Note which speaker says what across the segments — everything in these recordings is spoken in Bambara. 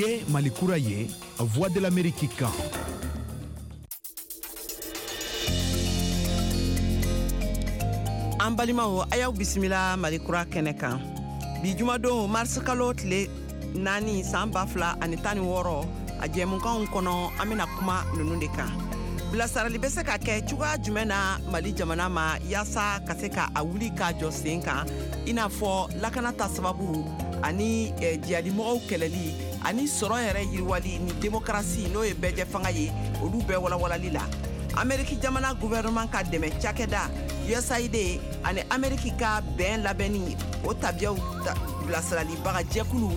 Speaker 1: Ye Mali kura ye, Voix de l'Amérique kan.
Speaker 2: An balimaw, a y'aw bisimila Mali kura kɛnɛ kan bi jumadon, marisikalo tile 4, san 2016. A jɛmukanw kɔnɔ, an bena kuma nunu de kan: bilasirali bɛ se ka kɛ cogoya jumɛn na Mali jamana ma, yaasa ka se ka a wuli k'a jɔ sen kan, i n'a fɔ lakana ta sababu ani jihadimɔgɔw kɛlɛli ani sɔrɔ yɛrɛ yiriwali ni demokarasi, n'o ye bɛɛjɛ fanga ye, olu bɛɛ walawalali la. Ameriki jamana gouvernement ka dɛmɛ cakɛda USAID ani Ameriki ka bɛn labɛnni o tabiyaw bilasiralibaga jɛkulu,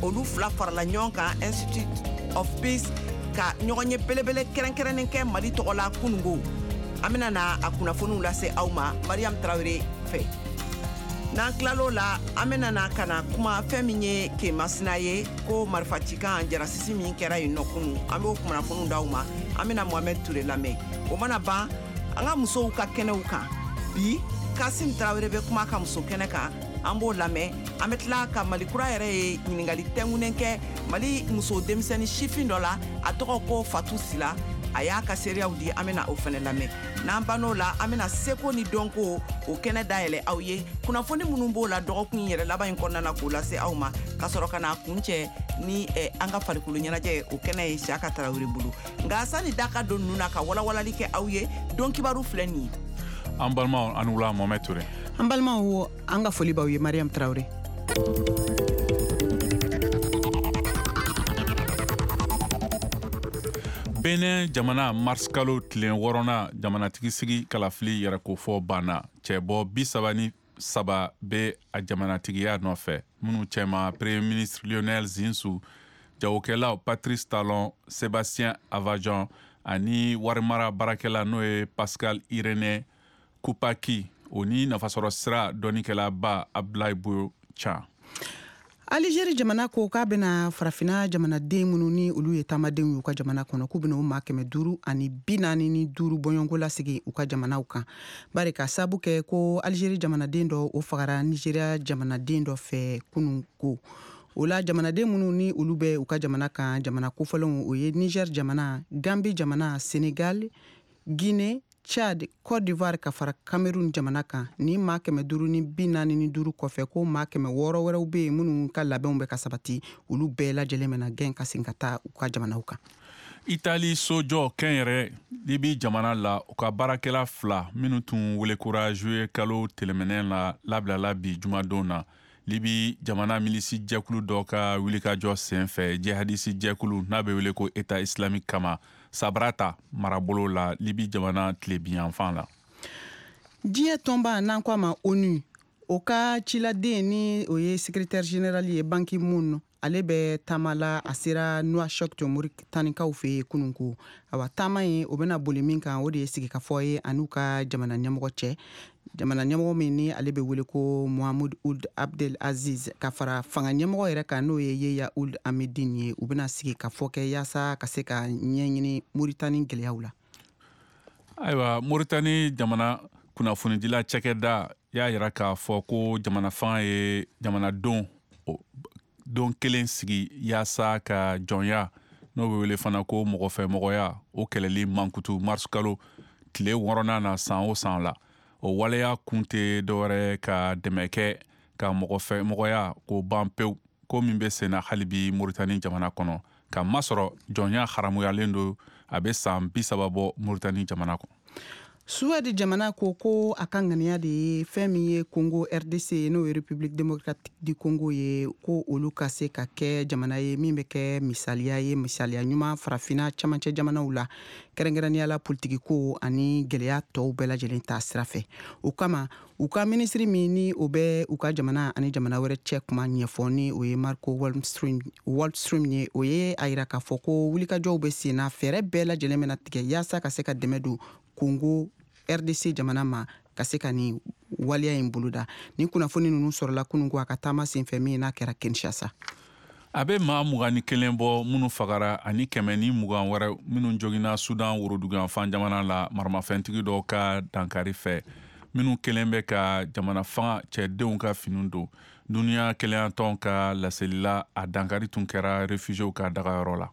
Speaker 2: olu fila farala ɲɔgɔn kan, Institute of Peace, ka ɲɔgɔn ye belebele kɛrɛnkɛrɛnnen kɛ Mali tɔgɔ la kunungo. An bena na a kunnafoniw lase aw ma Mariam Tarawele fɛ. N'an tilal'o la, an bena na ka na kuma fɛn min ye Kemasina ye, ko marifacikan jarasisi min kɛra yen nɔ kunu, an b'o kunnafoniw d'aw ma. An bena Mohamɛd Ture lamɛn. O mana ban, an ka musow ka kɛnɛw kan bi, Kasim Tarawele bɛ kuma ka muso kɛnɛ kan, an b'o lamɛn. An bɛ tila ka Mali kura yɛrɛ ye ɲininkali tɛnkunnen kɛ Mali muso denmisɛnnin sifin dɔ la, a tɔgɔ ko Fatu Sila. A y'a ka seereyaw di, an bɛna o fɛnɛ lamɛn. N'an bann'o la, an bɛna seko ni dɔnko o kɛnɛ dayɛlɛ aw ye, kunnafoni minnu b'o la dɔgɔkun in yɛrɛ laban in kɔnɔna na, k'o lase aw ma, ka sɔrɔ ka n'a kuncɛ ni an ka farikolo ɲɛnajɛ o kɛnɛ ye Siyaka Tarawele bolo. Nka sani da ka don ninnu na ka walawalali kɛ aw ye, don kibaru filɛ nin ye.
Speaker 3: An balimaw, an wula. Mohamɛd Ture.
Speaker 4: An balimaw, an ka foli b'aw ye. Mariam Tarawele.
Speaker 3: Benin jamana, mars kalo tile 6nan jamanatigi sigi kalafili yɛrɛkofɔ banna. Cɛbɔ 33 bɛ a jamanatigiya nɔfɛ, minnu cɛma Premier ministre Lionel Zinsou, jagokɛlaw Patrice Talon, Sébastien Avajan ani warimara baarakɛla, n'o ye Pascal Irénée Koupaki, o ni nafasɔrɔ sira dɔnnikɛlaba Abdoulaye Boyo Can.
Speaker 4: Alizeri jamana ko k'a bɛna Farafina jamanaden minnu ni olu ye taamadenw y'u ka jamana kɔnɔ, k'u bɛna o maa 545 bɔɲɔgɔnko lasigi u ka jamanaw kan, bari ka sabu kɛ ko Alizeri jamanaden dɔ, o fagara Nizeriya jamanaden dɔ fɛ kunun. Ko o la, jamanaden minnu ni olu bɛ u ka jamana kan, jamana kofɔlenw, o ye Niger jamana, Gambi jamana, Senegal, Guinée, Tchad, Côte d'Ivoire ka fara Cameroun jamana kan. Ni maa 545 kɔfɛ, ko maa 600 wɛrɛw bɛ yen minnu ka labɛnw bɛ ka sabati, olu bɛɛ lajɛlen bɛna gɛn ka segin ka taa u ka jamanaw kan.
Speaker 3: Itali sojɔ kɛnyɛrɛ Libi jamana la, u ka baarakɛla fila minnu tun welekura juillet kalo tɛmɛnen la, labilala bi jumadon na, Libi jamana milisi jɛkulu dɔ ka wulikajɔ sen fɛ jihadisi jɛkulu n'a bɛ wele ko État islamique kama, Sabrata marabolo la, Libi jamana tilebinyanfan la.
Speaker 4: Diɲɛ tɔnba, n'an ko a ma ONU, o ka ciladen, ni o ye secrétaire général ye, Ban Ki-moon, ale bɛ taama la. A sera Nouakchott, Moritanikaw fɛ yen kunun. Ko awa, taama in, o bɛna boli min kan, o de ye sigikafɔ ye an'u ka jamana ɲɛmɔgɔ cɛ, jamana ɲɛmɔgɔ min ni ale bɛ wele ko Mohamed Ould Abdel Aziz, ka fara fanga ɲɛmɔgɔ yɛrɛ kan, n'o ye Yeya Ould Hamedine ye. U bɛna sigi ka fɔ kɛ yaasa ka se ka ɲɛɲini Moritani gɛlɛyaw la.
Speaker 3: Ayiwa, Moritani jamana kunnafonidila cakɛda y'a yira k'a fɔ ko jamana fanga ye jamanadenw don kelen sigi yaasa ka jɔnya, n'o bɛ wele fana ko mɔgɔfɛmɔgɔya, o kɛlɛli mankutu mars kalo tile 6nan na san o san la. O waleya kun tɛ dɔwɛrɛ ka dɛmɛ kɛ ka mɔgɔfɛmɔgɔya k'o ban pewu, ko min bɛ senna hali bi Moritani jamana kɔnɔ, ka masɔrɔ jɔnya haramuyalen don a bɛ san 30 bɔ Moritani jamana kɔnɔ.
Speaker 4: Suwɛdi jamana ko ko a ka ŋaniya de ye fɛn min ye Congo RDC, n'o ye République démocratique du Congo ye, ko olu ka se ka kɛ jamana ye min bɛ kɛ misaliya ye, misaliya ɲuman Farafina camancɛ jamanaw la, kɛrɛnkɛrɛnnenya la politiki ko ani gɛlɛya tɔw bɛɛ lajɛlen ta sira fɛ. O kama, u ka minisiri min ni o bɛ u ka jamana ani jamana wɛrɛ cɛ kuma ɲɛfɔ, ni o ye Marco Wallström ye, o ye a yira k'a fɔ ko wulikajɔw bɛ sen na, fɛɛrɛ bɛɛ lajɛlen bɛna tigɛ yaasa ka se ka dɛmɛ don Congo RDC jamana ma, ka se ka nin waleya in boloda. Nin kunnafoni ninnu sɔrɔla kunun ko a ka taama senfɛ min n'a kɛra Kinshasa.
Speaker 3: A bɛ maa 21 bɔ minnu fagara ani 120 wɛrɛ minnu joginna Sudan woroduguyanfan jamana la, maramafɛntigi dɔw ka dankari fɛ. minnu kelen bɛ ka jamana fanga cɛdenw ka finiw don. Duniya kelenyatɔn ka laseli la, a dankari tun kɛra réfugiéw ka dagayɔrɔ la.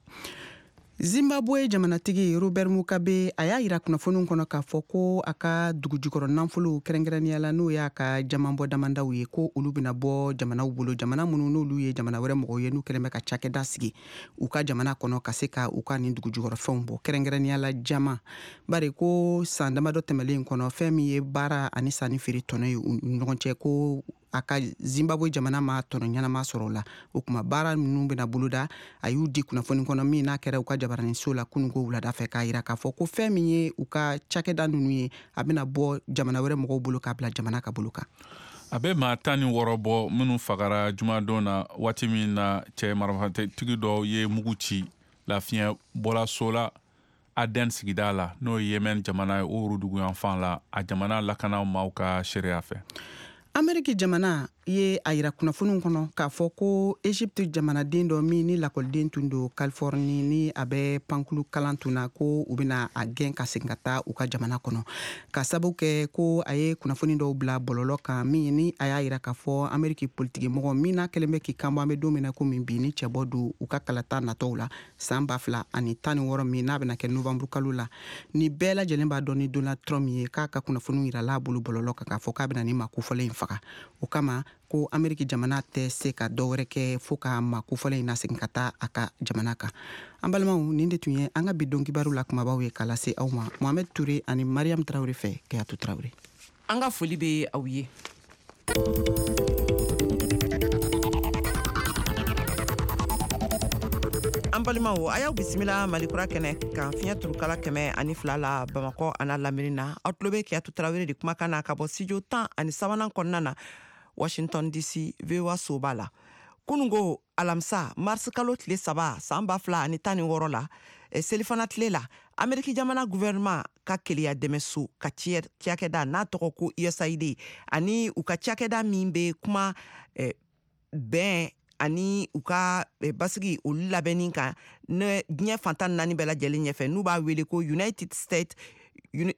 Speaker 4: Zimbabwe jamanatigi Robert Mugabe, a y'a yira kunnafoniw kɔnɔ k'a fɔ ko a ka dugujukɔrɔ nafolow, kɛrɛnkɛrɛnnenya la n'o y'a ka jamanbɔ damandaw ye, ko olu bɛna bɔ jamanaw bolo, jamana minnu n'olu ye jamana wɛrɛ mɔgɔw ye, n'u kɛlen bɛ ka cakɛda sigi u ka jamana kɔnɔ ka se ka u ka nin dugujukɔrɔfɛnw bɔ, kɛrɛnkɛrɛnnenya la jama. Bari ko san damadɔ tɛmɛlen kɔnɔ, fɛn min ye baara ani sanni feere tɔnɔ ye u ni ɲɔgɔn cɛ, ko a ka Zimbabwe jamana ma tɔnɔ ɲɛnama sɔrɔ o la. O kuma baara ninnu bɛna boloda. A y'u di kunnafoni kɔnɔ min n'a kɛra u ka jabaraninso la kununko wulada fɛ, k'a yira k'a fɔ ko fɛn min ye u ka cakɛda ninnu ye, a bɛna bɔ jamana wɛrɛ mɔgɔw bolo k'a bila jamana ka bolo kan.
Speaker 3: A bɛ maa 16 bɔ minnu fagara jumadon na, waati min na cɛ marifatigi dɔw ye mugu ci lafiɲɛ bɔlaso la Aden sigida la, n'o ye Yemen jamana ye, o woroduguyanfan la, a jamana lakana maaw ka seereya fɛ.
Speaker 4: Ameriki jamana ye a yira kunnafoniw kɔnɔ k'a fɔ ko Egypte jamanaden dɔ min ni lakɔliden tun don Californie, ni a bɛ pankulu kalan tun na, ko u bɛna a gɛn ka segin ka taa u ka jamana kɔnɔ, ka sababu kɛ ko a ye kunnafoni dɔw bila bɔlɔlɔ kan min ni a y'a yira k'a fɔ Ameriki politikimɔgɔ min n'a kɛlen bɛ k'i kanbɔ, an bɛ don min na komi bi, ni cɛbɔ don u ka kalata natɔw la san 2016 min n'a bɛna kɛ novembre kalo la, ni bɛɛ lajɛlen b'a dɔn ni Donald Trump ye, k'a ka kunnafoniw yirala a bolo bɔlɔlɔ kan k'a fɔ k'a bɛna ni maa kofɔlen in faga. O kama ko Ameriki jamana tɛ se ka dɔ wɛrɛ kɛ fo ka maa kofɔlen in nasegin ka taa a ka jamana kan. An balimaw, nin de tun ye an ka bi don kibaru la kumabaw ye k'a lase aw ma Mohamed Touré ani Mariam Traoré fɛ. Kayatu Traoré.
Speaker 2: An ka foli bɛ aw ye. An balimaw, a y'aw bisimila Malikura kɛnɛ kan, fiɲɛ turukala 102 la Bamakɔ a n'a lamini na. Aw tulo bɛ Kayatu Tarawele de kumakan na ka bɔ studio 13nan kɔnɔna na, Washington DC, VOA soba la. Kunungo alamisa, mars kalo tile 3 san 2016 la, selifana tile la, Ameriki jamana gouvernement ka keleya dɛmɛso ka cakɛda n'a tɔgɔ ko USAID, ani u ka cakɛda min bɛ kuma bɛn ani u ka basigi olu labɛnni kan ne diɲɛ fantan naani bɛɛ lajɛlen ɲɛfɛ, n'u b'a wele ko United States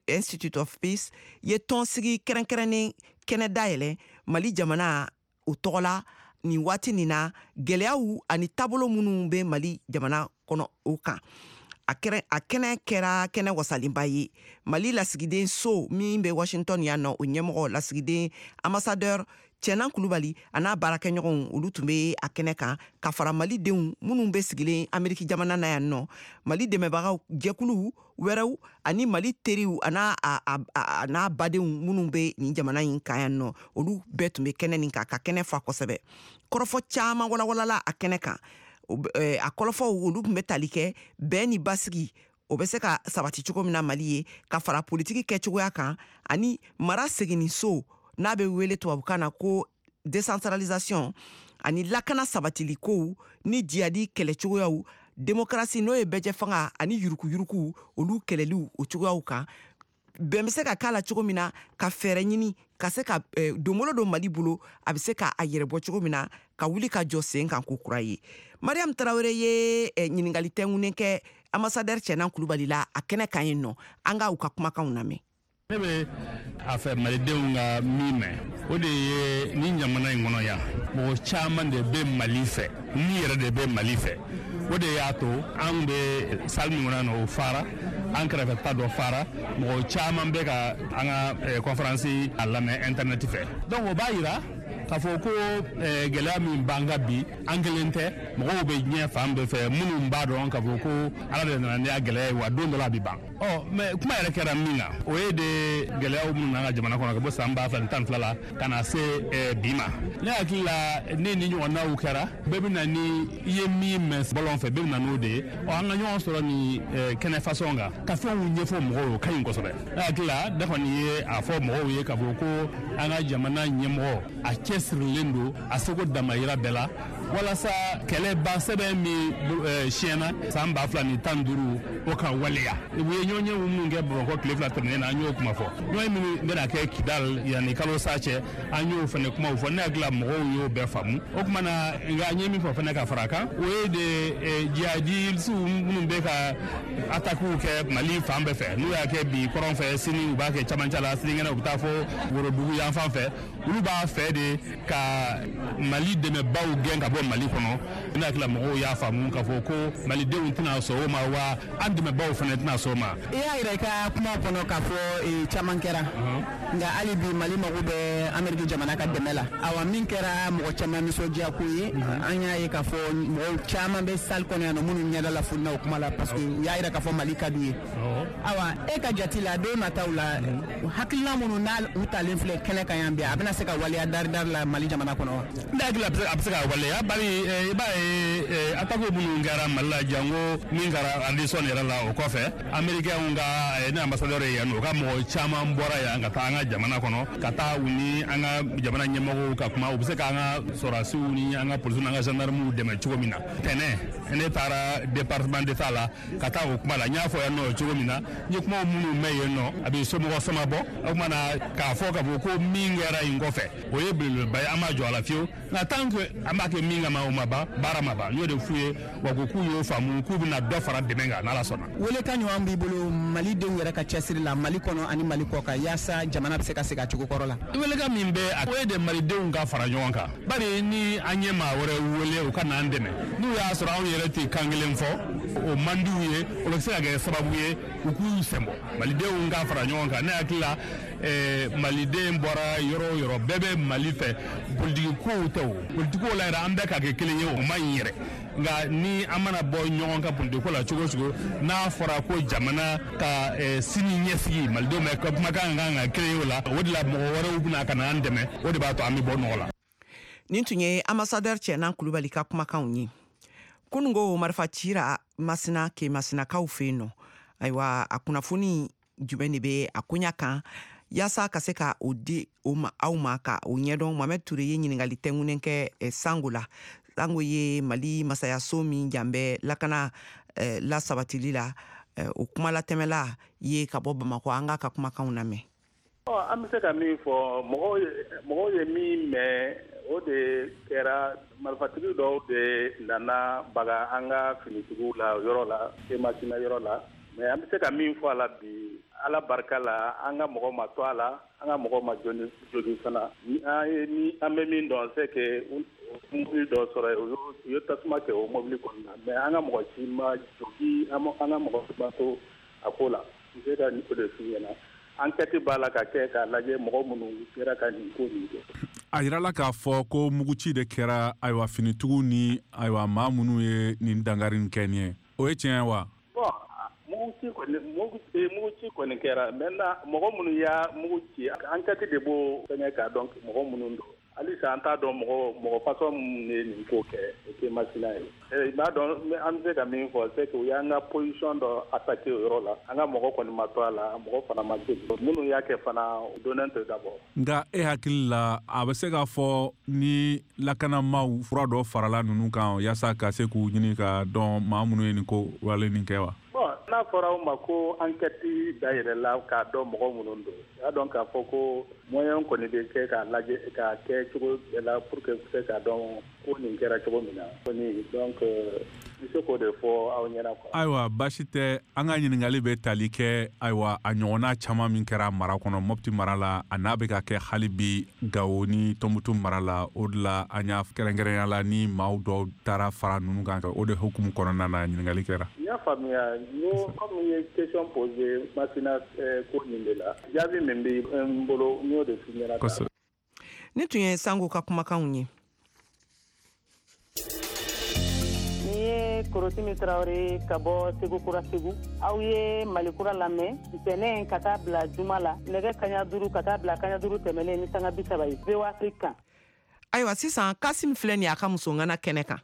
Speaker 2: Institute of Peace, ye tɔnsigi kɛrɛnkɛrɛnnen kɛnɛ dayɛlɛ Mali jamana o tɔgɔ la nin waati nin na, gɛlɛyaw ani taabolo minnu bɛ Mali jamana kɔnɔ o kan. A kɛnɛ kɛra kɛnɛ wasalenba ye. Mali lasigiden so min bɛ Washington yan nɔ, o ɲɛmɔgɔ lasigiden ambassadeur Cɛnan Kulubali a n'a baarakɛɲɔgɔnw, olu tun bɛ a kɛnɛ kan ka fara Malidenw minnu bɛ sigilen Ameriki jamana na yan nɔ, Mali dɛmɛbagaw jɛkulu wɛrɛw ani Mali teriw a n'a badenw minnu bɛ nin jamana in kan yan nɔ, olu bɛɛ tun bɛ kɛnɛ nin kan ka kɛnɛ fa kosɛbɛ. Kɔrɔfɔ caman walawalala a kɛnɛ kan. A kɔrɔfɔw olu tun bɛ tali kɛ bɛn ni basigi o bɛ se ka sabati cogo min na Mali ye, ka fara politiki kɛcogoya kan ani mara seginni so n'a bɛ wele tubabukan na ko décentralisation, ani lakana sabatili kow ni jihadi kɛlɛcogoyaw, démocratie n'o ye bɛɛjɛ fanga ani yurukuyuruku olu kɛlɛliw o cogoyaw kan. Bɛn bɛ se ka k'a la cogo min na ka fɛɛrɛ ɲini ka se ka donbolo don Mali bolo, a bɛ se ka a yɛrɛ bɔ cogo min na ka wuli ka jɔ sen kan ko kura ye. Mariam Tarawele ye ɲininkali tɛnkunnen kɛ ambassadeur Cɛnan Kulubali la a kɛnɛ kan yen nɔ. An ka u ka kumakanw lamɛn.
Speaker 5: Ne bɛ a fɛ malidenw ka min mɛn, o de ye ni jamana in kɔnɔ yan, mɔgɔ caman de bɛ Mali fɛ, ni yɛrɛ de bɛ Mali fɛ. O de y'a to an bɛ salle min kɔnɔ yan nɔ, o fara, an kɛrɛfɛ ta dɔ fara, mɔgɔ caman bɛ ka an ka conférence a lamɛn internet fɛ. Donc o b'a yira k'a fɔ ko gɛlɛya min b'an kan bi, an kelen tɛ, mɔgɔw bɛ diɲɛ fan bɛɛ fɛ minnu b'a dɔn k'a fɔ ko Ala de nana ni a gɛlɛya ye, wa don dɔ la a bɛ ban. Ɔ mais kuma yɛrɛ kɛra min kan, o ye de gɛlɛyaw minnu n'an ka jamana kɔnɔ ka bɔ san 2012 la ka na se bi ma. Ne hakili la ni nin ɲɔgɔnnaw kɛra, bɛɛ bɛ na ni i ye min mɛn bɔlɔn fɛ, bɛɛ bɛ na n'o de ye. Ɔ an ka ɲɔgɔn sɔrɔ nin kɛnɛ fasɔn kan ka fɛnw ɲɛfɔ mɔgɔw ye, o ka ɲi kosɛbɛ. Ne hakili la ne kɔni ye a fɔ mɔgɔw ye k'a fɔ ko an ka jamana ɲɛmɔgɔ a cɛsirilen don a seko damayira bɛɛ la. Walasa kɛlɛ ban sɛbɛn min siɲɛna san 2015, o ka waleya. U ye ɲɔgɔnye minnu kɛ Bamakɔ tile 2 tɛmɛnen na, an y'o kuma fɔ. Ɲɔgɔnye minnu bɛna kɛ Kidal yanni kalo sa cɛ, an y'o fana kumaw fɔ. Ne hakili la, mɔgɔw y'o bɛɛ faamu. O tuma na, nka n ye min fɔ fana ka fara a kan, o ye de jihadisiw minnu bɛ ka atakiw kɛ Mali fan bɛɛ fɛ, n'u y'a kɛ bi kɔrɔn fɛ, sini u b'a kɛ camancɛ la, sinikɛnɛ u bɛ taa fɔ worodugu yan fan fɛ, olu b'a fɛ de ka Mali dɛmɛbaw gɛn ka bɔ Mali kɔnɔ. Ne hakili la, mɔgɔw y'a faamu k'a fɔ ko malidenw tɛna sɔn o ma, wa an dɛmɛbaw fana tɛna sɔn o ma.
Speaker 4: I y'a yira i ka kuma kɔnɔ k'a fɔ caman kɛra, nka hali bi Mali mago bɛ Ameriki jamana ka dɛmɛ la. Awa, min kɛra mɔgɔ caman nisɔndiya ko ye, an y'a ye k'a fɔ mɔgɔw caman bɛ salle kɔnɔ yan nɔ minnu ɲɛda la fununa o kuma la, parce que u y'a yira k'a fɔ Mali ka d'u ye. Awa, e ka jate la, don nataw la, hakilina minnu n'a u talen filɛ kɛnɛ kan yan bi, a bɛna se ka waleya dari-dari la Mali jamana kɔnɔ wa?
Speaker 5: Ne hakili la, a bɛ se ka waleya, bari i b'a ye, attaque minnu kɛra Mali la, jango min kɛra Radisson yɛrɛ la, o kɔfɛ Américain ka ne ambassadeur ye yan nɔ, u ka mɔgɔ caman bɔra yan ka taa an ka jamana kɔnɔ, ka taa u ni an ka jamana ɲɛmɔgɔw ka kuma, u bɛ se k'an ka sɔrɔdasiw ni an ka polisiw n'an ka gendarmew dɛmɛ cogo min na. Tɛnɛ, ne taara Département d'État la ka taa o kuma la. N y'a fɔ yan nɔ cogo min na, n ye kumaw minnu mɛn yen nɔ, a bɛ somɔgɔ sama bɔ. O tuma na, k'a fɔ ko min kɛra yen kɔfɛ, o ye belebeleba ye, an b'a jɔ a la fiyewu. Nka tant que an b'a kɛ min kama, o ma ban, baara ma ban. N y'o de f'u ye wa, ko k'u y'o faamu, k'u bɛna dɔ fara dɛmɛ kan n'Ala sɔnna.
Speaker 4: Welekan ɲuman b'i bolo malidenw yɛrɛ ka cɛsiri la Mali kɔnɔ ani Mali kɔ kan, yaasa jamana bɛ se ka segin a cogo kɔrɔ la?
Speaker 5: Welekan min bɛ, o ye de malidenw ka fara ɲɔgɔn kan, bari ni an ye maa wɛrɛ wele u ka n'an dɛmɛ, n'u y'a sɔrɔ anw yɛrɛ tɛ kan kelen fɔ, o man d'u ye, o bɛ se ka kɛ sababu ye u k'u sen bɔ. Malidenw ka fara ɲɔgɔn kan. Ne hakili la, maliden bɔra yɔrɔ o yɔrɔ, bɛɛ bɛ Mali fɛ. Politiki kow tɛ, o politiki ko la yɛrɛ, an bɛɛ ka kɛ kelen ye, o man ɲi yɛrɛ. Nka ni an mana bɔ ɲɔgɔn ka politiki ko la cogo o cogo, n'a fɔra ko jamana ka sini ɲɛsigi, malidenw bɛ kumakan kan ka kelen ye o la. O de la mɔgɔ wɛrɛw bɛna ka na an dɛmɛ, o de b'a to an bɛ bɔ nɔgɔ la.
Speaker 2: Nin tun ye ambassadeur Cɛnan Kulubali ka kumakanw ye. Kunungo, marifa cira Masina, ke Masinakaw fɛ yen nɔ. Ayiwa, a kunnafoni jumɛn de bɛ a koɲa kan, yaasa ka se ka o di o ma aw ma ka o ɲɛdɔn? Mohamɛd Ture ye ɲiningali tɛnkunnen kɛ Sango la. Sango ye Mali masayaso min jan bɛ lakana lasabatili la, o kumalatɛmɛla ye ka bɔ Bamakɔ. An k'a ka kumakanw lamɛn.
Speaker 6: An bɛ se ka min fɔ, mɔgɔw ye min mɛn, o de kɛra marifatigi dɔw de nana baga an ka finitigiw la yɔrɔ la, Masina yɔrɔ la. Mais an bɛ se ka min fɔ a la bi, Ala barika la, an ka mɔgɔ ma to a la, an ka mɔgɔ ma jogin fana. An ye ni an bɛ min dɔn, c'est que mobili dɔ sɔrɔ yen, u ye tasuma kɛ o mobili kɔnɔna, mais an ka mɔgɔ si ma jogi, an ka mɔgɔ si ma to a ko la. N bɛ se ka o de f'i ɲɛna. Enquête b'a la ka kɛ k'a lajɛ mɔgɔ minnu kɛra ka nin ko nin kɛ.
Speaker 3: A yirala k'a fɔ ko muguci de kɛra, ayiwa, finitigiw ni, ayiwa, maa minnu ye nin dankari nin kɛ nin ye, o ye tiɲɛ ye wa?
Speaker 6: Bon, muguci kɔni kɛra. Maintenant, mɔgɔ minnu y'a mugu ci, enquête de b'o fɛngɛ k'a dɔn mɔgɔ minnu don. Halisa an t'a dɔn mɔgɔ façon minnu ye nin ko kɛ, o tɛ Masina ye. I b'a dɔn, an bɛ se ka min fɔ, c'est que u y'an ka position dɔ attaquer o yɔrɔ la. An ka mɔgɔ kɔni ma to a la, mɔgɔ fana ma jogin. Minnu y'a kɛ fana, u donnen tɛ d'abord.
Speaker 3: Nka e hakili la, a bɛ se k'a fɔ ni lakanamaw fura dɔ farala ninnu kan yaasa ka se k'u ɲini ka dɔn maa minnu ye nin ko wale nin kɛ wa?
Speaker 6: Bon, n'a fɔra aw ma ko enquête dayɛlɛla k'a dɔn mɔgɔ minnu don, i y'a dɔn k'a fɔ ko moyen kɔni bɛ kɛ k'a lajɛ k'a kɛ cogo bɛɛ la pour que se k'a dɔn ko nin kɛra cogo min na kɔni. Donc n bɛ se k'o de fɔ aw ɲɛna quoi.
Speaker 3: Ayiwa, baasi tɛ. An ka ɲininkali bɛ tali kɛ, ayiwa, a ɲɔgɔnna caman min kɛra mara kɔnɔ, Mɔpti mara la, a n'a bɛ ka kɛ hali bi Gawo ni Tɔnbutu mara la. O de la an y'a kɛrɛnkɛrɛnya la ni maaw dɔw taara fara ninnu kan, o de hukumu kɔnɔna na ɲininkali kɛra.
Speaker 6: N y'a faamuya. N ko comme i ye question posée Masina ko nin de la, jaabi min bɛ n bolo, n y'o de f'i ɲɛna.
Speaker 3: Kosɛbɛ.
Speaker 2: Nin tun ye Sango ka kumakanw ye.
Speaker 7: Ni ye Korotimi Tarawele ka bɔ Segu Kura, Segu. Aw ye Malikura lamɛn ntɛnɛn ka taa bila juma la, nɛgɛ kaɲa 5 ka taa bila kaɲa 5 tɛmɛnen ni sanga 30 ye, VOA Afrique kan.
Speaker 2: Ayiwa, sisan Kasim filɛ nin ye a ka musoŋana kɛnɛ kan.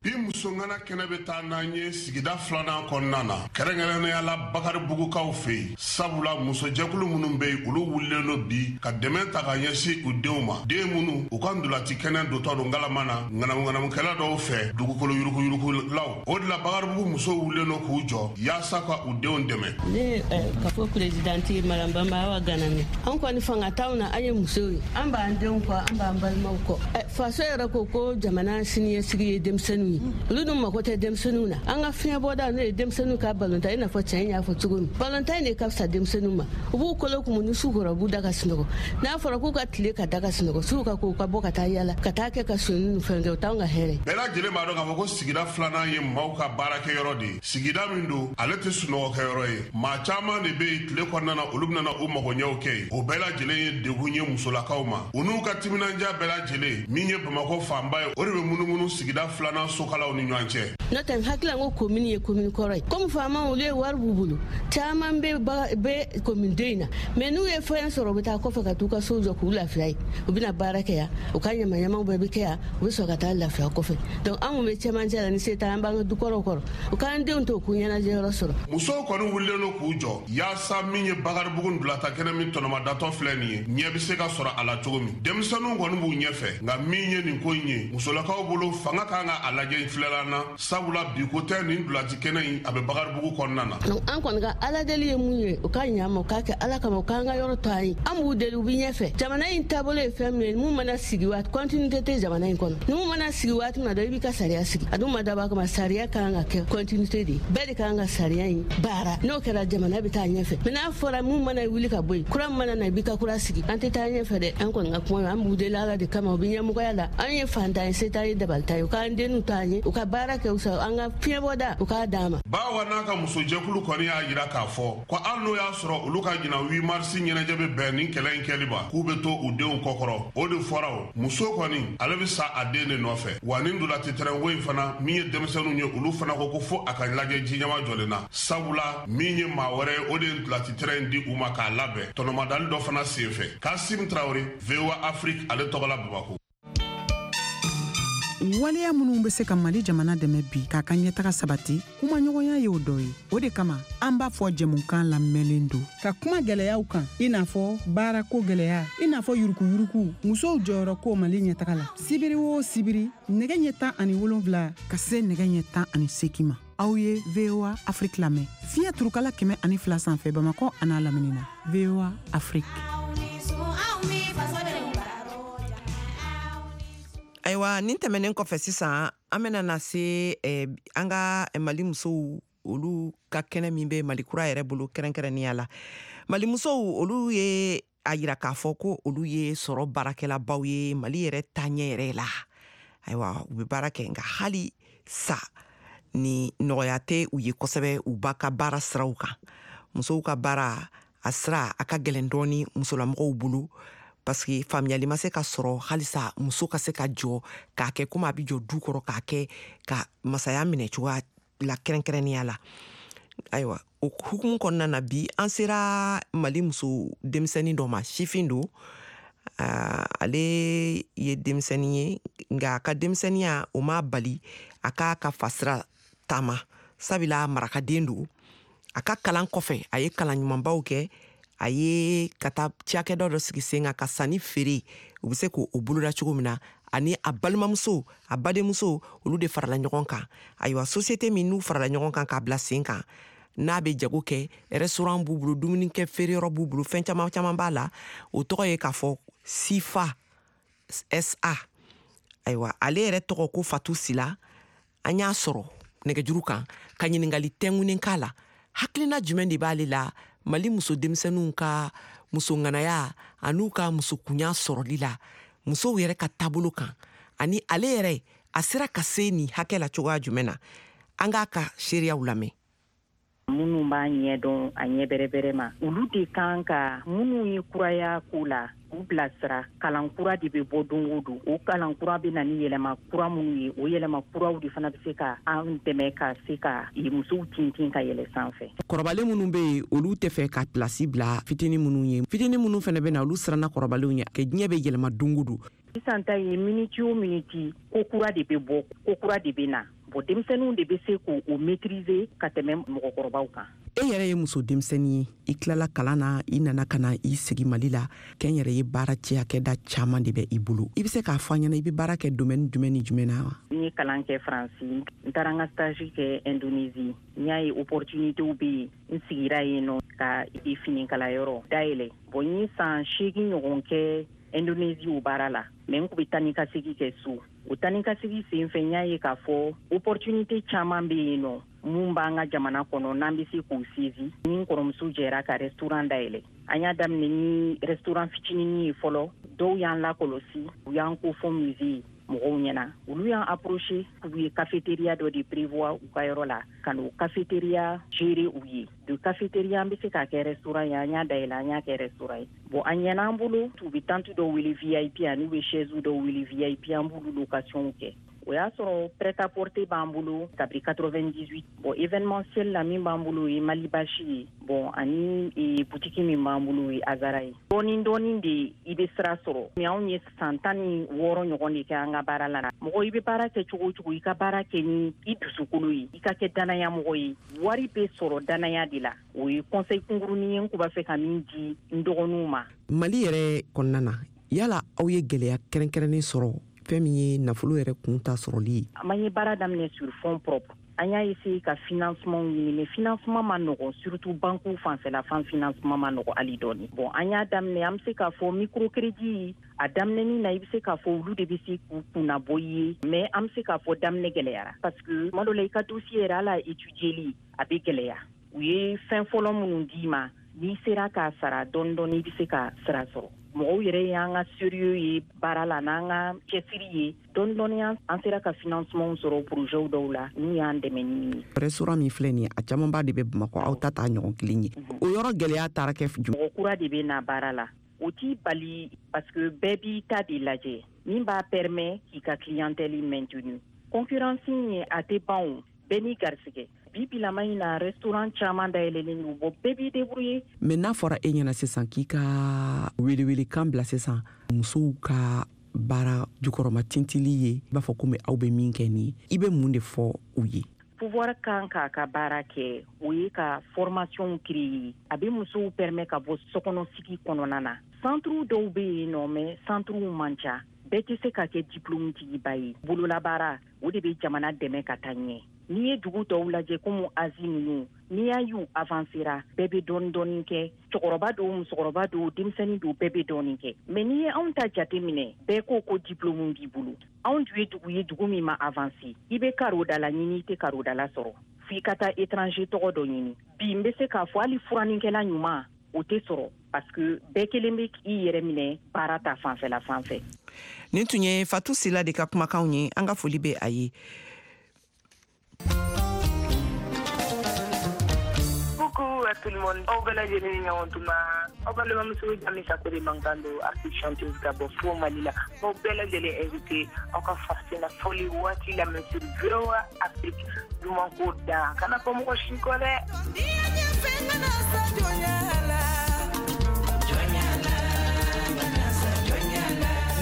Speaker 8: Bi musongana kɛnɛ bɛ taa n'an ye sigida filanan kɔnɔna na, kɛrɛnkɛrɛnnenya la Bakaribugukaw fɛ yen, sabula musojɛkulu minnu bɛ yen, olu wulilen don bi ka dɛmɛ ta ka ɲɛsin u denw ma, den minnu u ka ntolaci kɛnɛ dotɔ don ngalama na ŋanamuŋanamukɛla dɔw fɛ, dugukolo yuruguyurugulaw. O de la Bakaribugu musow wulilen don k'u jɔ yaasa ka u denw dɛmɛ.
Speaker 9: Ne kafo présidente Madame Bamba Awa Ganame, an kɔni fanga t'anw na, an ye musow ye, an b'an denw kɔ, an b'an balimaw kɔ. Faso yɛrɛ ko ko jamana siniɲɛsigi ye denmisɛnninw ye, olu dun mako tɛ denmisɛnninw na. An ka fiɲɛbɔda n'o ye denmisɛnninw ka balontan, i n'a fɔ cɛ in y'a fɔ cogo min, balontan in de ka fisa denmisɛnninw ma. U b'u kolo kumu ni su kɔrɔ, u b'u da ka sunɔgɔ. N'a fɔra k'u ka tile ka da ka sunɔgɔ, su ka ko u ka bɔ ka taa yala, ka taa kɛ ka sonyani ni fɛn kɛ, o t'anw ka hɛrɛ.
Speaker 8: Bɛɛ lajɛlen b'a dɔn k'a fɔ ko sigida filanan ye maaw ka baarakɛyɔrɔ de ye. Sigida min don, ale tɛ sunɔgɔkɛyɔrɔ ye. Maa caman de bɛ yen tile kɔnɔna na, olu bɛna u magoɲɛw kɛ yen. O bɛɛ lajɛlen ye degun ye musolakaw ma. U n'u ka timinandiya bɛɛ lajɛlen, min ye Bamakɔ fanba ye, o de bɛ munumunu sigida filanan sokalaw ni ɲɔgɔn cɛ.
Speaker 9: N'o tɛ, n hakili la ko komini ye komini kɔrɔ ye, komi faamaw olu ye wari b'u bolo, caman bɛ komini den in na, mɛ n'u ye fɛn sɔrɔ, u bɛ taa kɔfɛ ka t'u ka sow jɔ k'u lafiya yen. U bɛna baara kɛ yan, u ka ɲamaɲamaw bɛɛ bɛ kɛ yan, u bɛ sɔrɔ ka taa lafiya kɔfɛ. Donc anw bɛ cɛmancɛ la, ni se t'an, an b'an ka dukɔrɔw kɔrɔ, u k'an denw to k'u ɲɛnajɛ yɔrɔ sɔrɔ.
Speaker 8: Musow kɔni wulilen don k'u jɔ yaasa min ye Bakaribugu ntolatan kɛnɛ min tɔnɔmadatɔ filɛ nin ye, ɲɛ bɛ se ka sɔrɔ a la cogo min. Denmisɛnninw kɔni b'u ɲɛfɛ, nka min ye nin ko in ye, musolakaw bolo fanga kan ka a lajɛ filɛlan na, sabula bi ko tɛ nin ntolaci kɛnɛ in a bɛ Bakaribugu kɔnɔna na.
Speaker 9: Donc an kɔni ka Ala deli ye mun ye, u ka ɲa ma, u k'a kɛ Ala kama, u k'an ka yɔrɔ to an ye. An b'u deli, u bɛ ɲɛfɛ. Jamana in taabolo ye fɛn min ye, mun mana sigi waati, continuité tɛ jamana in kɔnɔ. Ni mun mana sigi waati min na dɔrɔn, i b'i ka sariya sigi. A dun ma dabɔ a kama, sariya kan ka kɛ continuité de ye, bɛɛ de kan ka sariya in baara. N'o kɛra, jamana bɛ taa ɲɛfɛ. Mais n'a fɔra mun mana wuli ka bɔ yen, kura min mana na, i b'i ka kura sigi, an tɛ taa ɲɛfɛ dɛ. An kɔni ka kuma, an b'u deli Ala de kama, u bɛ ɲɛmɔgɔya la. An ye fantan ye, se t'an ye, dabali t'an ye, u k'an denw to an ye, u ka baara kɛ, an ka fiɲɛbɔda u k'a d'an ma.
Speaker 8: Bawa n'a ka musojɛkulu kɔni y'a jira k'a fɔ ko hali n'o y'a sɔrɔ olu ka ɲinan 8 mars ɲɛnajɛ bɛ bɛn nin kɛlɛ in kɛli ma, k'u bɛ to u denw kɔkɔrɔ. O de fɔra, o muso kɔni ale bɛ sa a den de nɔfɛ. Wa nin ntolaci terrain ko in fana, min ye denmisɛnninw ye, olu fana ko ko fo a ka lajɛ ji ɲɛma jɔlen na, sabula min ye maa wɛrɛ ye, o de ye ntolaci terrain in di u ma k'a labɛn tɔnɔmadali dɔ fana senfɛ. Kasim Traoré, VOA Afrique, ale tɔgɔ la Bamakɔ.
Speaker 4: Waleya minnu bɛ se ka Mali jamana dɛmɛ bi k'a ka ɲɛtaga sabati, kumaɲɔgɔnya y'o dɔ ye. O de kama an b'a fɔ jɛmukan lamɛnlen don ka kuma gɛlɛyaw kan, i n'a fɔ baarako gɛlɛya, i n'a fɔ yurukuyuruku, musow jɔyɔrɔ ko Mali ɲɛtaga la. Sibiri o sibiri, nɛgɛ ɲɛ 17 ka se nɛgɛ ɲɛ 18 ma, aw ye VOA Afrique lamɛn fiɲɛ turukala 102 sanfɛ Bamakɔ an'a lamini na. VOA Afrique.
Speaker 2: Ayiwa, nin tɛmɛnen kɔfɛ sisan, an bɛna na se an ka Mali musow olu ka kɛnɛ min bɛ Mali kura yɛrɛ bolo kɛrɛnkɛrɛnnenya la. Mali musow olu ye a yira k'a fɔ ko olu ye sɔrɔ baarakɛlabaw ye Mali yɛrɛ taaɲɛ yɛrɛ la. Ayiwa, u bɛ baara kɛ, nka hali sa ni nɔgɔya tɛ u ye kosɛbɛ u ba ka baara siraw kan. Musow ka baara a sira a ka gɛlɛn dɔɔni musolamɔgɔw bolo, parce que faamuyali ma se ka sɔrɔ halisa muso ka se ka jɔ k'a kɛ komi a bɛ jɔ du kɔrɔ, k'a kɛ ka masaya minɛ cogoya la kɛrɛnkɛrɛnnenya la. Ayiwa, o hukumu kɔnɔna na, bi an sera Mali muso denmisɛnnin dɔ ma, sifin don. Ale ye denmisɛnnin ye, nka a ka denmisɛnninya o m'a bali a k'a ka fasira taama, sabula marakaden don. A ka kalan kɔfɛ, a ye kalan ɲumanbaw kɛ, a ye ka taa cakɛda dɔ sigi sen kan ka sanni feere, u bɛ se k'o boloda cogo min na. Ani a balimamuso, a badenmuso, olu de farala ɲɔgɔn kan. Ayiwa, société min n'u farala ɲɔgɔn kan k'a bila sen kan, n'a bɛ jago kɛ, restaurant b'u bolo, dumunikɛ feereyɔrɔ b'u bolo, fɛn caman caman b'a la. O tɔgɔ ye k'a fɔ Sifa SA. Ayiwa, ale yɛrɛ tɔgɔ ko Fatu Sila. An y'a sɔrɔ nɛgɛjuru kan ka ɲininkali tɛnkunnen k'a la, hakilina jumɛn de b'ale la Mali muso denmisɛnninw ka musoŋanaya an'u ka musokunya sɔrɔli la, musow yɛrɛ ka taabolo kan, ani ale yɛrɛ a sera ka se nin hakɛ la cogoya jumɛn na. An k'a ka seereyaw lamɛn.
Speaker 10: Minnu b'a ɲɛdɔn a ɲɛ bɛrɛbɛrɛ ma, olu de kan ka minnu ye kuraya ko la k'u bilasira. Kalan kura de bɛ bɔ don o don, o kalan kura bɛ na ni yɛlɛma kura minnu ye, o yɛlɛma kuraw de fana bɛ se ka an dɛmɛ ka se ka musow tintin ka yɛlɛ sanfɛ.
Speaker 2: Kɔrɔbalen minnu bɛ yen, olu tɛ fɛ ka pilasi bila fitinin minnu ye. Fitinin minnu fana bɛ na, olu siranna kɔrɔbalenw ye, kɛ diɲɛ bɛ yɛlɛma don o don.
Speaker 10: Sisan ta ye minute o minute, ko kura de bɛ bɔ, ko kura de bɛ na. Bon, denmisɛnninw de bɛ se k'o maîtriser ka tɛmɛ mɔgɔkɔrɔbaw kan.
Speaker 2: E yɛrɛ ye muso denmisɛnnin ye, i tilala kalan na, i nana ka na i sigi Mali la. Kɛnyɛrɛ ye baara cakɛda caman de bɛ i bolo. I bɛ se k'a fɔ an ɲɛna, i bɛ baara kɛ domaine jumɛn ni jumɛn na wa?
Speaker 10: N ye kalan kɛ Faransi, n taara n ka stage kɛ Indonésie. N y'a ye opportunitéw bɛ yen, n sigira yen nɔ ka finikalayɔrɔ dayɛlɛ. Bon, n ye san 8 ɲɔgɔn kɛ Indonésie o baara la, mais n kun bɛ taa ni ka segin kɛ so. O taa ni ka segin sen fɛ, n y'a ye k'a fɔ opportunité caman bɛ yen nɔ mun b'an ka jamana kɔnɔ n'an bɛ se k'o saisi. Ni n kɔrɔmuso jɛra ka restaurant dayɛlɛ, an y'a daminɛ ni restaurant fitininin ye fɔlɔ. Dɔw y'an lakɔlɔsi, u y'an ko fɔ musée mɔgɔw ɲɛna, olu y'an approché k'u ye cafétéria dɔ de prévoir u ka yɔrɔ la, ka n'o cafétéria gérer u ye. De cafétéria an bɛ se k'a kɛ restaurant ye, an y'a dayɛlɛ, an y'a kɛ restaurant ye. Bon, a ɲɛna an bolo. U bɛ tente dɔw wele VIP ani u bɛ chaise dɔw wele VIP, an b'olu location kɛ. O y'a sɔrɔ prêt-à-porter b'an bolo kabiri 98. Bon, événementiel la, min b'an bolo o ye Mali Basi ye. Bon, ani boutique min b'an bolo o ye Azara ye. Dɔɔni dɔɔni de i bɛ sira sɔrɔ. Mais anw ye san 16 ɲɔgɔn de kɛ an ka baara la. Mɔgɔ, i bɛ baara kɛ cogo o cogo, i ka baara kɛ ni i dusukolo ye, i ka kɛ danaya mɔgɔ ye. Wari bɛ sɔrɔ danaya de la. O ye conseil kunkurunin ye n kun b'a fɛ ka min di n dɔgɔninw ma.
Speaker 2: Mali yɛrɛ kɔnɔna na, yala aw ye gɛlɛya kɛrɛnkɛrɛnnen sɔrɔ fɛn min ye nafolo yɛrɛ kun ta sɔrɔli ye?
Speaker 10: An ye baara daminɛ sur fonds propre. An y'a essayé ka financement ɲini, mais financement ma nɔgɔn, surtout banque fanfɛla fan, financement ma nɔgɔn hali dɔɔni. Bon, an y'a daminɛ, an bɛ se k'a fɔ microcrédit a daminɛni na, i bɛ se k'a fɔ olu de bɛ se k'u kunna bɔ i ye, mais an bɛ se k'a fɔ daminɛ gɛlɛyara, parce que tuma dɔ la, i ka dossier yɛrɛ, hali a étudier a bɛ gɛlɛya. U ye fɛn fɔlɔ minnu d'i ma, n'i sera k'a sara dɔɔni dɔɔni, i bɛ se ka sira sɔrɔ. Mɔgɔw yɛrɛ y'an ka sérieux ye baara la n'an ka cɛsiri ye, dɔɔni dɔɔni an sera ka financement sɔrɔ projet dɔw la n'u y'an dɛmɛ ni min ye.
Speaker 2: Restaurant min filɛ nin ye, a camanba de bɛ Bamakɔ, aw ta t'a ɲɔgɔn kelen ye. O yɔrɔ gɛlɛya taara kɛ jumɛn?
Speaker 10: Mɔgɔ kura de bɛ na baara la, o t'i bali, parce que bɛɛ b'i ta de lajɛ min b'a permet k'i ka clientèle maintenu. Concurrence in, a tɛ ban o, bɛɛ n'i garisɛgɛ. Bi bilama in na, restaurant caman dayɛlɛlen don. Bon, bɛɛ b'i débrouiller.
Speaker 2: Mais n'a fɔra e ɲɛna sisan k'i ka welewelekan bila sisan musow ka baara jukɔrɔma tintili ye, i b'a fɔ komi aw bɛ min kɛ nin ye, i bɛ mun de fɔ u ye?
Speaker 10: Pouvoir kan k'a ka baara kɛ, o ye ka formation créer a bɛ musow permet ka bɔ sokɔnɔsigi kɔnɔna na. Centre dɔw bɛ yen nɔ, mais centre man ca. Bɛɛ tɛ se ka kɛ diplôme tigiba ye. Bololabaara, o de bɛ jamana dɛmɛ ka taa ɲɛ. N'i ye dugu tɔw lajɛ komi Asie ninnu, n'i y'a y'u avancera, bɛɛ bɛ dɔɔni dɔɔni kɛ. Cɛkɔrɔba don, musokɔrɔba don, denmisɛnnin don, bɛɛ bɛ dɔɔni kɛ. Mais n'i ye anw ta jate minɛ, bɛɛ ko ko diplôme b'i bolo. Anw dun ye dugu ye, dugu min ma avancé. I bɛ karodala ɲini, i tɛ karodala sɔrɔ, f'i ka taa étranger tɔgɔ dɔ ɲini. Bi n bɛ se k'a fɔ hali furanikɛla ɲuman, o tɛ sɔrɔ, parce que bɛɛ kelen bɛ k'i yɛrɛ minɛ baara ta fanfɛla fan fɛ.
Speaker 2: Nin tun ye Fatu Sila de ka kumakanw ye. An ka foli bɛ a ye.
Speaker 11: Coucou à tout le monde. Aw bɛɛ lajɛlen ni ɲɔgɔn tuma. Aw balimamuso Jami Sako de mankan don, artiste chanteuse ka bɔ fo Mali la. Aw bɛɛ lajɛlen invité aw ka farafina fɔli waati lamɛn sur VOA Afrique. Duman ko da kana fɔ mɔgɔ si kɔ dɛ.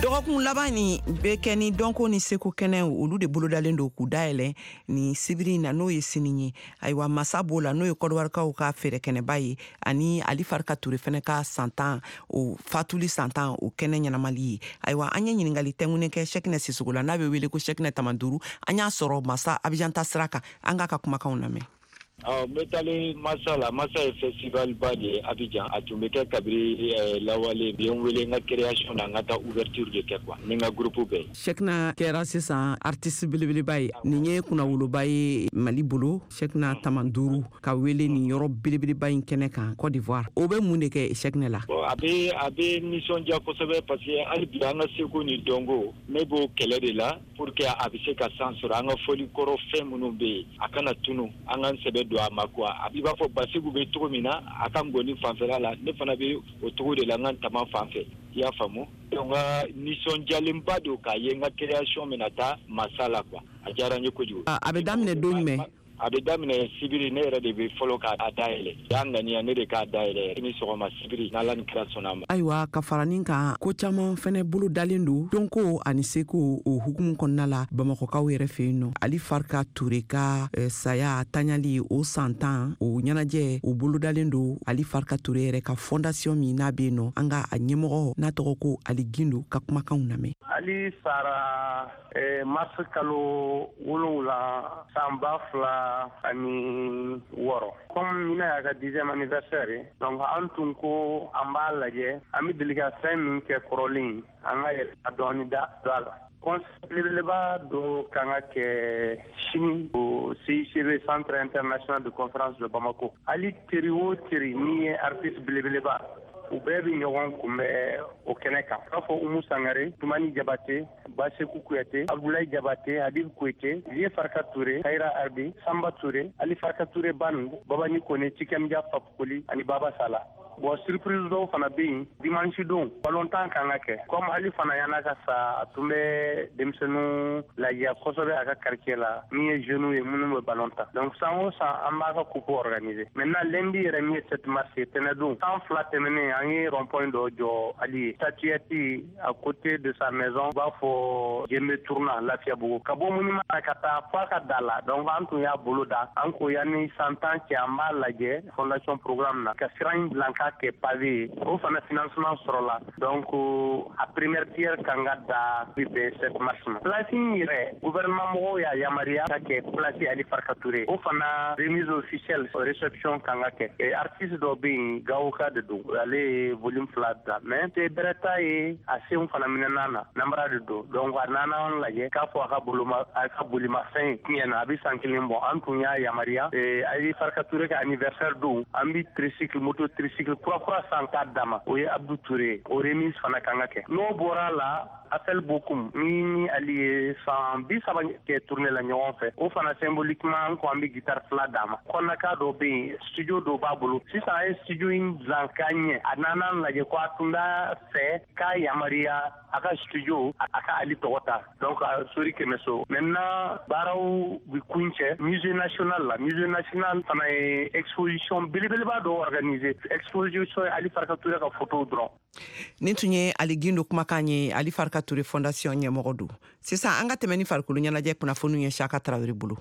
Speaker 2: Dɔgɔkun laban nin bɛ kɛ ni dɔnko ni seko kɛnɛ, olu de bolodalen don k'u dayɛlɛ ni sibiri in na, n'o ye sini ye. Ayiwa, masa b'o la, n'o ye Kɔdiwarikaw ka fɛɛrɛkɛnɛba ye, ani Ali Farika Ture fɛnɛ ka san 10, o fatuli san 10, o kɛnɛ ɲɛnamali ye. Ayiwa, an ye ɲiningali tɛnkunnen kɛ Sɛkinɛ Sisogo la, n'a bɛ wele ko Sɛkinɛ Tamanduru. An y'a sɔrɔ masa Abijan ta sira kan. An k'a ka kumakanw lamɛn.
Speaker 12: N bɛ taalen masa la. Masa ye festival ba de ye Abidjan. A tun bɛ kɛ kabiri lawale. U ye n wele n ka création na, n ka taa ouverture de kɛ quoi, ni n ka groupe bɛɛ ye.
Speaker 2: Sɛkina kɛra sisan artiste belebeleba ye. Nin ye kunnawoloba ye Mali bolo, Sɛkina Tamanduru ka wele nin yɔrɔ belebeleba in kɛnɛ kan Côte d'Ivoire. O bɛ mun de kɛ Sɛkinɛ la?
Speaker 12: Bon, a bɛ nisɔndiya kosɛbɛ, parce que hali bi an ka seko ni dɔnko, ne b'o kɛlɛ de la pour que a bɛ se ka san sɔrɔ. An ka fɔli kɔrɔ fɛn minnu bɛ yen, a kana tunu, an k'an sɛbɛ don a ma quoi. A b'i b'a fɔ Basigu bɛ cogo min na a ka ngɔni fanfɛla la, ne fana bɛ o cogo de la n ka tama fan fɛ, i y'a faamu. Donc n ka nisɔndiyalenba don k'a ye n ka création bɛna taa masa la quoi. A diyara n ye kojugu.
Speaker 2: A bɛ daminɛ don jumɛn?
Speaker 12: A bɛ daminɛ sibiri, ne yɛrɛ de bɛ fɔlɔ k'a dayɛlɛ. Y'a ŋaniya ne de k'a dayɛlɛ ni sɔgɔma sibiri, n'Ala ni kira sɔnna a ma.
Speaker 2: Ayiwa, ka fara nin kan, ko caman fɛnɛ bolo dalen don dɔnko ani seko o hukumu kɔnɔna la Bamakɔkaw yɛrɛ fɛ yen nɔ. Ali Farka Ture ka saya taɲali o san 10 o ɲɛnajɛ o bolo dalen don Ali Farka Ture yɛrɛ ka fondation min n'a bɛ yen nɔ. An ka a ɲɛmɔgɔ n'a tɔgɔ ko Ali Gindo ka kumakanw lamɛn.
Speaker 13: Ali sara mars kalo 7 san 2006. Comme ɲinan y'a ka 10e anniversaire ye, donc an tun ko an b'a lajɛ, an bɛ deli ka fɛn min kɛ kɔrɔlen, an ka yɛlɛma dɔɔni da don a la. Concert belebeleba dɔ kan ka kɛ sini au CICB, Centre International de Conférence de Bamako. Ali teri o teri min ye artiste belebeleba, u bɛɛ bɛ ɲɔgɔn kunbɛn o kɛnɛ kan. K'a fɔ Umu Sangare, Tumani Jabate, Baseku Kuyate, Abdoulaye Jabate, Habib Koyte, Vieux Farka Touré, Kayira Arbi, Samba Touré, Ali Farka Touré Band, Babani Kone, Tikemja Fapukoli ani Baba Sala. Bon, surprise dɔw fana bɛ yen dimanche don, balontan kan ka kɛ. Comme Ali fana yan'a ka sa, a tun bɛ denmisɛnninw lajiya kosɛbɛ a ka quartier la, min ye jeunes ye minnu bɛ ballon tan. Donc san o san an b'a ka coupe organiser. Maintenant lundi yɛrɛ min ye 7 mars ye, tɛnɛn don, san 2 tɛmɛnen an ye rond point dɔ jɔ Ali ye, statuette à côté de sa maison, u b'a fɔ Jembe tournant Lafiyabugu, ka bɔ monument na ka taa fo a ka da la. Donc an tun y'a bolo da, an ko yanni san 10 cɛ an b'a lajɛ fondation programme na ka sira in dilan k'a kɛ pavé ye. O fana financement sɔrɔla, donc a première pierre kan ka da bi bɛn 7 mars ma. Place in yɛrɛ, gouvernement mɔgɔw y'a yamaruya ka kɛ place Ali Farka Touré. O fana remise officielle, réception kan ka kɛ. Artiste dɔ bɛ yen, Gawoka de don, ale ye volume 2 bila, mais tɛ bɛrɛ t'a ye, a senw fana minɛna na namara de don. Donc a nana an lajɛ k'a fɔ a ka bolimafɛn tiɲɛna, a bɛ san 1 bɔ. An tun y'a yamaruya Ali Farka Touré ka anniversaire don, an bɛ tricycle, moto tricycle kura kura san k'a d'a ma, o ye Abdou Touré, o remise fana kan ka kɛ. N'o bɔra la, Afel Bokum min ni Ali ye san 30 kɛ tournée la ɲɔgɔn fɛ, o fana symboliquement an ko an bɛ guitare 2 d'a ma. Kɔnɔka dɔ bɛ yen, studio dɔ b'a bolo sisan, a ye studio in dilan k'a ɲɛ. A nana an lajɛ ko a tun b'a fɛ k'a yamaruya a ka studio a ka Ali tɔgɔ ta, donc Sori Kɛmɛso. Maintenant baaraw bɛ kuncɛ musée national la. Musée national fana ye exposition belebeleba dɔ organiser, exposition Ali Farka Touré ka photo dɔrɔn.
Speaker 2: Nin tun ye Ali Gindo kumakan ye, Ali Farka Touré fondation ɲɛmɔgɔ don. Sisan an ka tɛmɛ ni farikolo ɲɛnajɛ kunnafoniw ye Saka Tarawele bolo.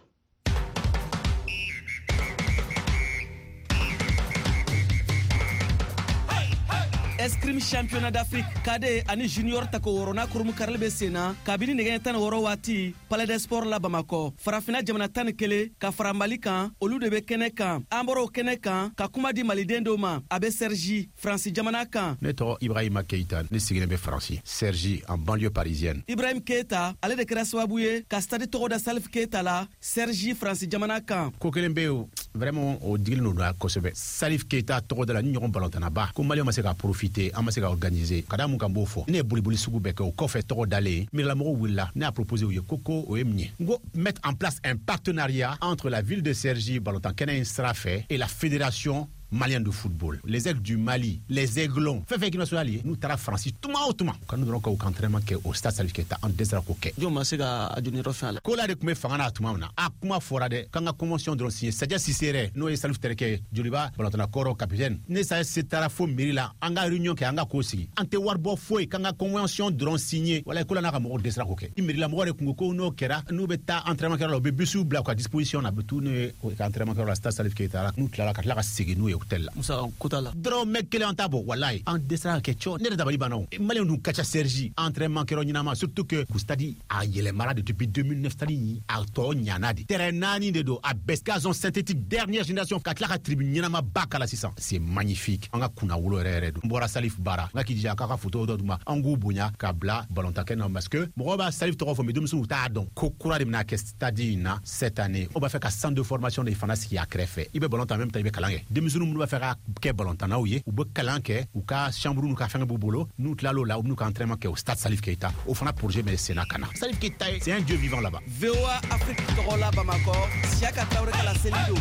Speaker 14: Escrime championnat d'Afrique cadet ani junior tako wɔrɔna kurumu karili bɛ sen na kabini nɛgɛ 16 waati Palais des Sports la Bamakɔ. Farafinna jamana 11 ka fara Mali kan, olu de bɛ kɛnɛ kan. An bɔra o kɛnɛ kan ka kuma di maliden dɔw ma, a bɛ Cergy, Faransi jamana kan.
Speaker 15: Ne tɔgɔ Ibrahima Keita, ne sigilen bɛ Faransi, Cergy en banlieue parisienne.
Speaker 14: Ibrahim Keita, ale de kɛra sababu ye ka stade tɔgɔ da Salif Keita la Cergy, Faransi jamana kan.
Speaker 15: Ko kelen bɛ yen vraiment o digilen don kosɛbɛ. Salif Keita tɔgɔ da la ni ɲɔgɔn balontanaba ko Maliyɛnw ma se ka profiter, an ma se ka organiser ka da mun kan b'o fɔ. Ne ye boliboli sugu bɛɛ kɛ, o kɔfɛ tɔgɔ dalen miirilamɔgɔw wulila, ne y'a proposé u ye ko o ye mun ye, n ko mettre en place un partenariat entre la ville de Cergy balontan kɛnɛ in sira fɛ et la fédération malienne de football, les Aigles du Mali, les Aiglons, fɛn fɛn équipe nationale ye, n'u taara Faransi tuma o tuma, ka n'u dɔrɔn ka u ka entraînement kɛ au stade Salif Keita, an dɛsɛra k'o kɛ.
Speaker 14: Jɔn ma se ka a jɔniyɔrɔ fɛn a la?
Speaker 15: Ko la de tun bɛ fanga na tuma min na, a kuma fɔra dɛ, k'an ka convention dɔrɔn signer. Sadia Cissé yɛrɛ, n'o ye Salif terikɛ ye, Joliba balontanna kɔrɔ capitaine, ne Sadia Cissé taara fo mairie la, an ka réunion kɛ, an ka k'o sigi, an tɛ wari bɔ foyi, k'an ka convention dɔrɔn signer. Walayi ko la n'a ka mɔgɔw dɛsɛra k'o kɛ. Mairie la mɔgɔw de kun ko n'o kɛra, n'u bɛ taa entraînement kɛyɔrɔ la, u bɛ bisiw bila u ka disposition na, a bɛ t'u n'u ye ka entraînement kɛyɔrɔ la stade Salif Keita la, n'u tilala ka tila ka segin n'u ye hôtel la.
Speaker 14: Musaka ko t'a la.
Speaker 15: Dɔrɔmɛ kelen an t'a bɔ, walayi an dɛsɛra ka kɛ cɔ. Ne yɛrɛ dabali banna o. Maliyɛnw dun ka ca Cergy, entraînement kɛyɔrɔ ɲɛnama, surtout que k'u stade a yɛlɛmara de depuis 2009, stade in a tɔ ɲana de. Terrain 4 de don, a bɛɛ gazon synthétique dernière génération, ka tila ka tribune ɲɛnama ba k'a la sisan. C'est magnifique. An ka kunna wolo yɛrɛ yɛrɛ don. N bɔra Salif baara, n ka k'i jija k'a ka photo dɔ d'u ma, an k'u bonya ka bila balontan kɛnɛ na, parce que mɔgɔw b'a Salif tɔgɔ fɔ, mais denmisɛnninw t'a dɔn. Ko kura de bɛna kɛ stade in na cette année. O b'a fɛ ka centre de formation de fana sigi a kɛrɛfɛ. I bɛ balon tan en même temps i bɛ kalan kɛ. Denmisɛnninw minnu b'a fɛ ka kɛ balontannaw ye, u bɛ kalan kɛ, u ka chambre n'u ka fɛngɛ b'u bolo, n'u tilal'o la, u b'u ka entraînement kɛ au stade Salif Keita. O fana projet bɛ senna ka na. Salif Keita, c'est un dieu vivant là-bas.
Speaker 14: VOA Afrique tɔgɔ la Bamakɔ, Siaka Traoré ka laseli don.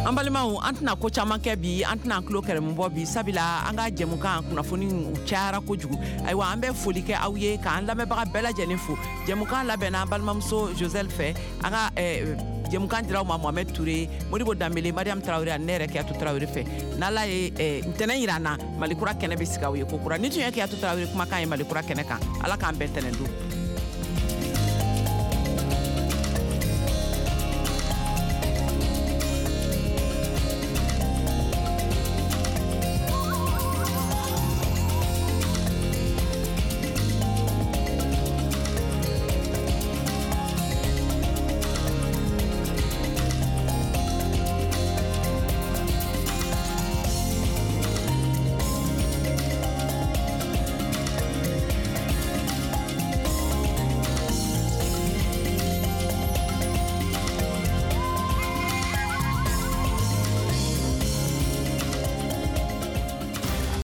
Speaker 2: An balimaw, an tɛna ko caman kɛ bi, an tɛna an tulo kɛrɛmu bɔ bi, sabula an ka jɛmukan kunnafoni u cayara kojugu. Ayiwa, an bɛ foli kɛ aw ye, k'an lamɛnbaga bɛɛ lajɛlen fo. Jɛmukan labɛnna an balimamuso Josɛl fɛ. An ka jɛmukan dira aw ma Mohamɛd Ture, Modibo Danbele, Mariam Tarawele ani ne yɛrɛ Kiyatu Tarawele fɛ. N'Ala ye ntɛnɛn yira an na, Malikura kɛnɛ bɛ sigi aw ye kokura. Ni tun ye Kiyatu Tarawele kumakan ye Malikura kɛnɛ kan. Ala k'an bɛn tɛnɛn don.